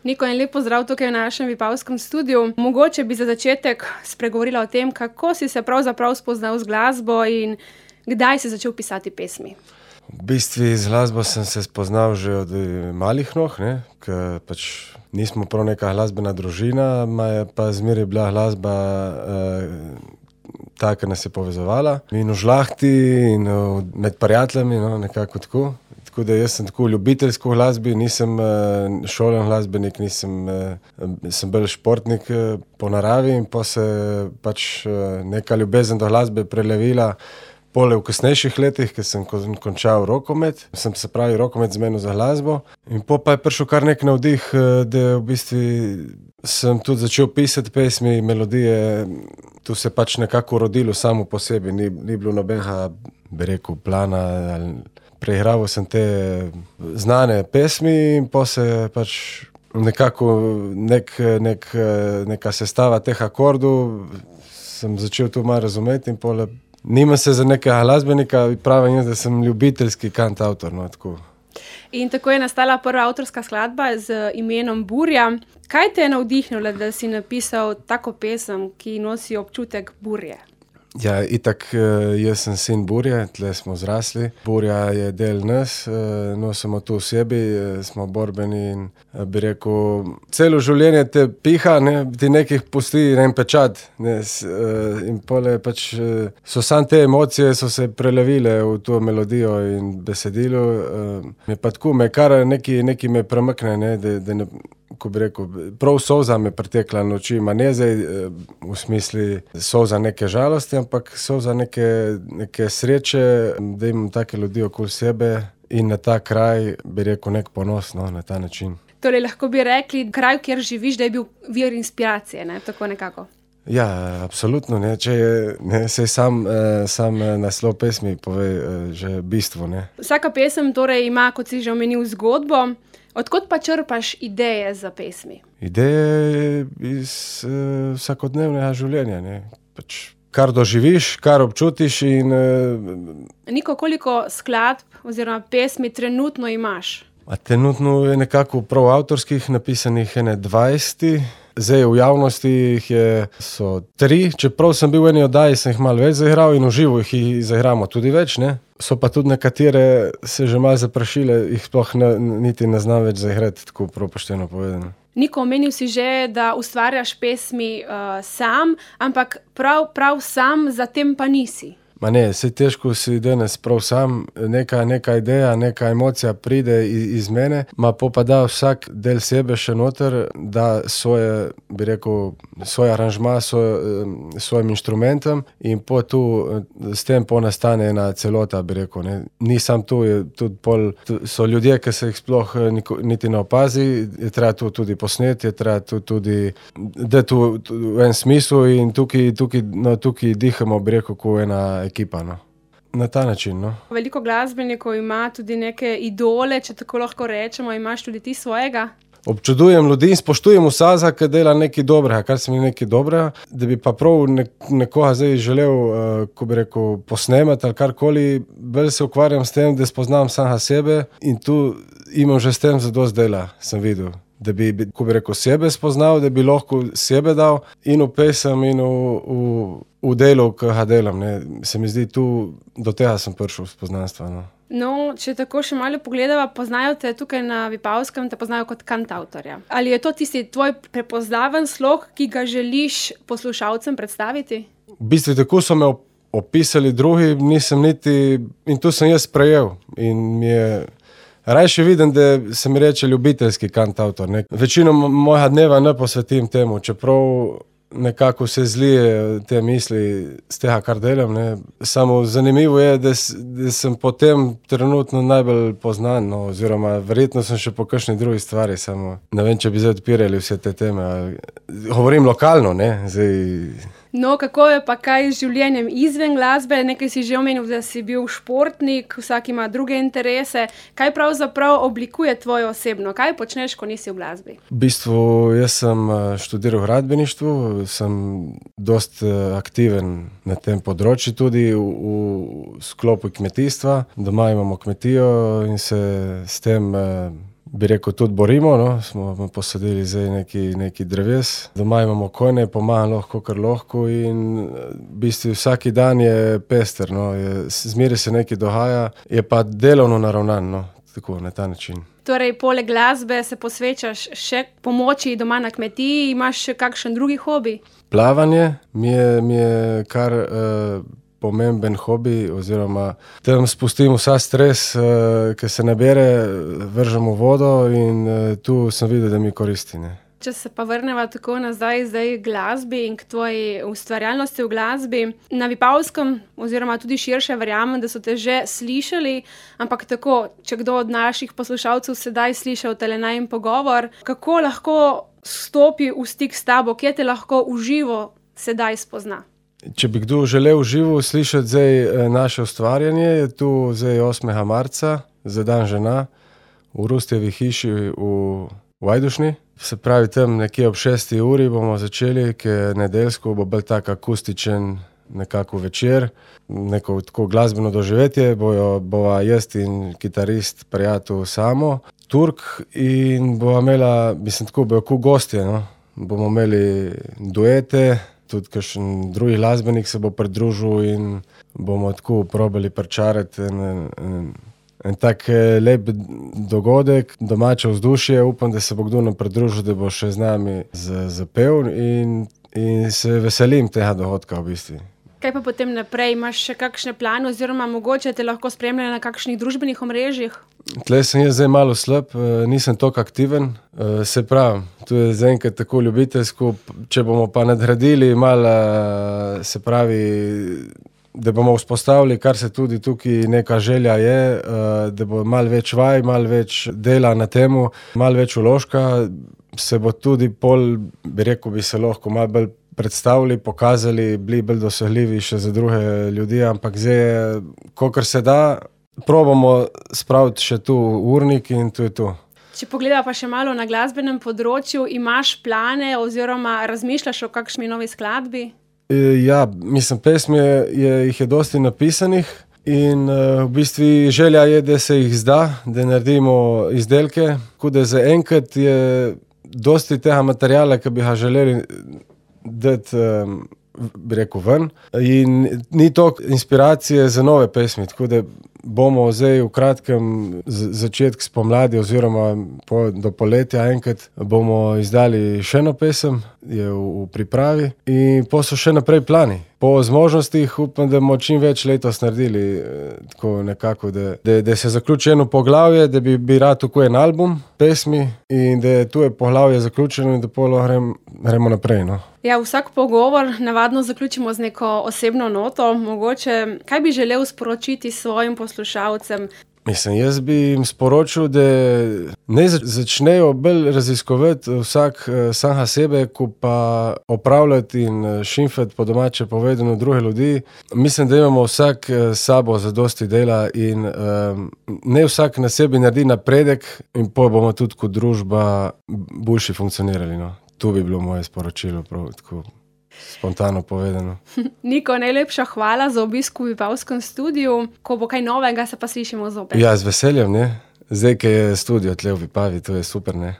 Niko, en lep pozdrav tukaj v našem Vipavskem studiu. Mogoče bi za začetek spregovorila o tem, kako si se pravzaprav spoznal z glasbo in kdaj si začel pisati pesmi. V bistvu z glasbo sem se spoznal že od malih nog, ker pač nismo prav neka glasbena družina, je pa zmeraj bila glasba ta, ki nas je povezovala. In v žlahti in med prijateljami, nekako tako. Tako da jaz sem tako ljubiteljsko v glasbi, nisem šolen glasbenik, sem bolj športnik po naravi in pa se pač neka ljubezen do glasbe prelevila pole v kasnejših letih, ker sem končal rokomet. Sem se pravi rokomet zmenil za glasbo in pa je prišel kar nek navdih, da v bistvu sem tudi začel pisati pesmi, melodije. Tu se pač nekako rodilo samo po sebi, ni bilo nobenega, bi rekel, plana ali preigraval sem te znane pesmi in pa se pač nekako neka sestava teh akordov sem začel tu malo razumeti in pole. Nimam se za nekega glasbenika, pravim jaz, da sem ljubiteljski kantavtor, tako. In tako je nastala prva avtorska skladba z imenom Burja. Kaj te je navdihnilo, da si napisal tako pesem, ki nosi občutek burje? Ja, itak jaz sem sin Burje, tle smo zrasli. Burja je del nas, nosimo to v sebi, smo borbeni in bi rekel, celo življenje te piha, ti nekih pusti en pečat. In pole pač so samo te emocije so se prelevile v to melodijo in besedilo. Me pa tako, neki me premakne, da ne, ko bi rekel, prav solza me pretekla noči, ne zdaj v smisli solza neke žalosti, ampak solza neke sreče, da imam take ljudi okoli sebe in na ta kraj, bi rekel, nek ponos, na ta način. Torej, lahko bi rekli, kraj, kjer živiš, da je bil vir inspiracije, tako nekako. Ja, absolutno, če je, saj sam naslov pesmi pove že bistvo, Vsaka pesem torej ima, kot si že omenil, zgodbo. Odkot pa črpaš ideje za pesmi? Ideje iz vsakodnevnega življenja, Pač kar doživiš, kar občutiš in Niko, koliko skladb oziroma pesmi trenutno imaš? Trenutno je nekako prav avtorskih napisanih 20. Zdaj v javnosti so 3, čeprav sem bil v eni oddaji, sem jih malo več zaigral in v živo jih zaigramo tudi več, So pa tudi nekatere se že malo zaprašile, jih sploh niti ne znam več zaigrati, tako prav pošteno povedano. Niko, omenil si že, da ustvarjaš pesmi sam, ampak prav sam zatem pa nisi. Saj težko si danes prav sam, neka ideja, neka emocija pride iz mene, pa da vsak del sebe še noter, da svoje, bi rekel, svoj aranžma svojim inštrumentom in tu s tem nastane ena celota, bi rekel, Ni sam tu, tudi so ljudje, ki se jih sploh niti ne opazi, je treba to tudi posneti, je treba to tudi, da tu v en smislu in tukaj dihamo, bi rekel, kot ena ekipa, Na ta način, Veliko glasbenikov ima tudi neke idole, če tako lahko rečemo, imaš tudi ti svojega? Občudujem ljudi in spoštujem vsaza, ki dela nekaj dobrega, kar se mi nekaj dobrega, da bi pa prav nekoga zdaj želel, ko bi rekel, posnemati ali karkoli, bolj se ukvarjam s tem, da spoznam samega sebe in tu imam že s tem zadosti dela, sem videl. Da bi, ko bi rekel, sebe spoznal, da bi lahko sebe dal in v pesem in v delu, ki ga delam, Se mi zdi, do tega sem prišel spoznanstva, Če tako še malo pogledava, poznajo te tukaj na Vipavskem, te poznajo kot kantavtorja. Ali je to tisti tvoj prepoznaven slog, ki ga želiš poslušalcem predstaviti? V bistvu tako so me opisali drugi, nisem niti, in to sem jaz sprejel in mi je rajše vidim, da se mi reče ljubiteljski kantavtor, Večino mojega dneva ne posvetim temu, čeprav nekako se zlije te misli z tega, kar delam, Samo zanimivo je, da sem potem trenutno najbolj poznan, oziroma verjetno sem še po kakšni drugi stvari, samo ne vem, če bi zdaj odpirali vse te teme. Govorim lokalno, zdaj. Kako je pa kaj z življenjem izven glasbe? Nekaj si že omenil, da si bil športnik, vsak ima druge interese. Kaj pravzaprav oblikuje tvojo osebno? Kaj počneš, ko nisi v glasbi? V bistvu, jaz sem študiral gradbeništvo, sem dosti aktiven na tem področju tudi v sklopu kmetijstva. Doma imamo kmetijo in se s tem bi rekel, tudi borimo. No. Smo posadili zdaj neki dreves. Doma imamo konje, pomagam lahko, kar lahko in v bistvu vsaki dan je pester. No. Zmeraj se nekaj dogaja, je pa delovno naravnan, no. Tako, na ta način. Torej, poleg glasbe se posvečaš še pomoči doma na kmetiji, imaš še kakšen drugi hobi? Plavanje mi je kar pomemben hobi, oziroma tam spustim vsa stres, ki se nabere, vržem v vodo in tu sem videl, da mi koristi, ne. Če se pa vrneva tako nazaj zdaj k glasbi in k tvoji ustvarjalnosti v glasbi. Na Vipavskem oziroma tudi širše verjamem, da so te že slišali, ampak tako, če kdo od naših poslušalcev sedaj slišal tale najin pogovor, kako lahko stopi v stik s tabo, kje te lahko v živo sedaj spozna? Če bi kdo želel v živo slišati zdaj naše ustvarjanje, je tu zdaj 8. marca, za dan žena, v Rustjevi hiši v Ajdušni. Se pravi, tam nekje ob 6. uri bomo začeli, ki je nedeljsko, bo bolj tak akustičen nekako večer, neko tako glasbeno doživetje, bova jaz in kitarist, prijatelj Samo, Turk in bova imela, mislim tako, bojo gostje, no. Bomo imeli duete, tudi kakšen drugi glasbenik se bo pridružil in bomo tako probali pričarati en tak lep dogodek, domače vzdušje. Upam, da se bo kdo nam pridružil, da bo še z nami zapel in se veselim tega dogodka v bistvu. Kaj pa potem naprej? Imaš še kakšne plane oziroma mogoče te lahko spremljajo na kakšnih družbenih omrežjih? Tle sem jaz zdaj malo slab, nisem toliko aktiven. Se pravi, tu je zaenkrat tako ljubiteljsko, če bomo pa nadgradili malo, se pravi, da bomo vzpostavili, kar se tudi tukaj neka želja je, da bo malo več vaj, malo več dela na temu, malo več vložka, se bo tudi pol, bi rekel, bi se lahko malo bolj predstavili, pokazali, bili bolj dosegljivi še za druge ljudi, ampak zdaj je, kolikor se da, probamo spraviti še tu urnik in to je to. Če pogledava pa še malo na glasbenem področju, imaš plane oziroma razmišljaš o kakšni novi skladbi? Ja, mislim, pesmi jih je dosti napisanih in v bistvu želja je, da se jih zda, da naredimo izdelke, tako da zaenkrat je dosti tega materiala, ki bi ga želeli dati, bi rekel, ven in ni toliko inspiracije za nove pesmi, tako da bomo zdaj v kratkem začetek spomladi oziroma do poletja enkrat bomo izdali še eno pesem, je v pripravi in po so še naprej plani. Po zmožnostih upam, da bomo čim več letos naredili, tako nekako, da se zaključi eno poglavje, da bi rad tako en album pesmi in da tu je poglavje zaključeno in da pol gremo naprej, no. Ja, vsak pogovor navadno zaključimo z neko osebno noto. Mogoče, kaj bi želel sporočiti svojim poslušalcem? Mislim, jaz bi jim sporočil, da ne začnejo bolj raziskovati vsak samega sebe, ko pa opravljati in šimfati po domače povedano druge ljudi. Mislim, da imamo vsak sabo zadosti dela in ne vsak na sebi naredi napredek in pol bomo tudi kot družba boljše funkcionirali, no. To bi bilo moje sporočilo, prav tako spontano povedano. Niko, najlepša hvala za obisk v Vipavskem studiu. Ko bo kaj novega, se pa slišimo zopet. Ja, z veseljem, ne. Zdaj, ko je studio tle v Vipavi, to je super, ne.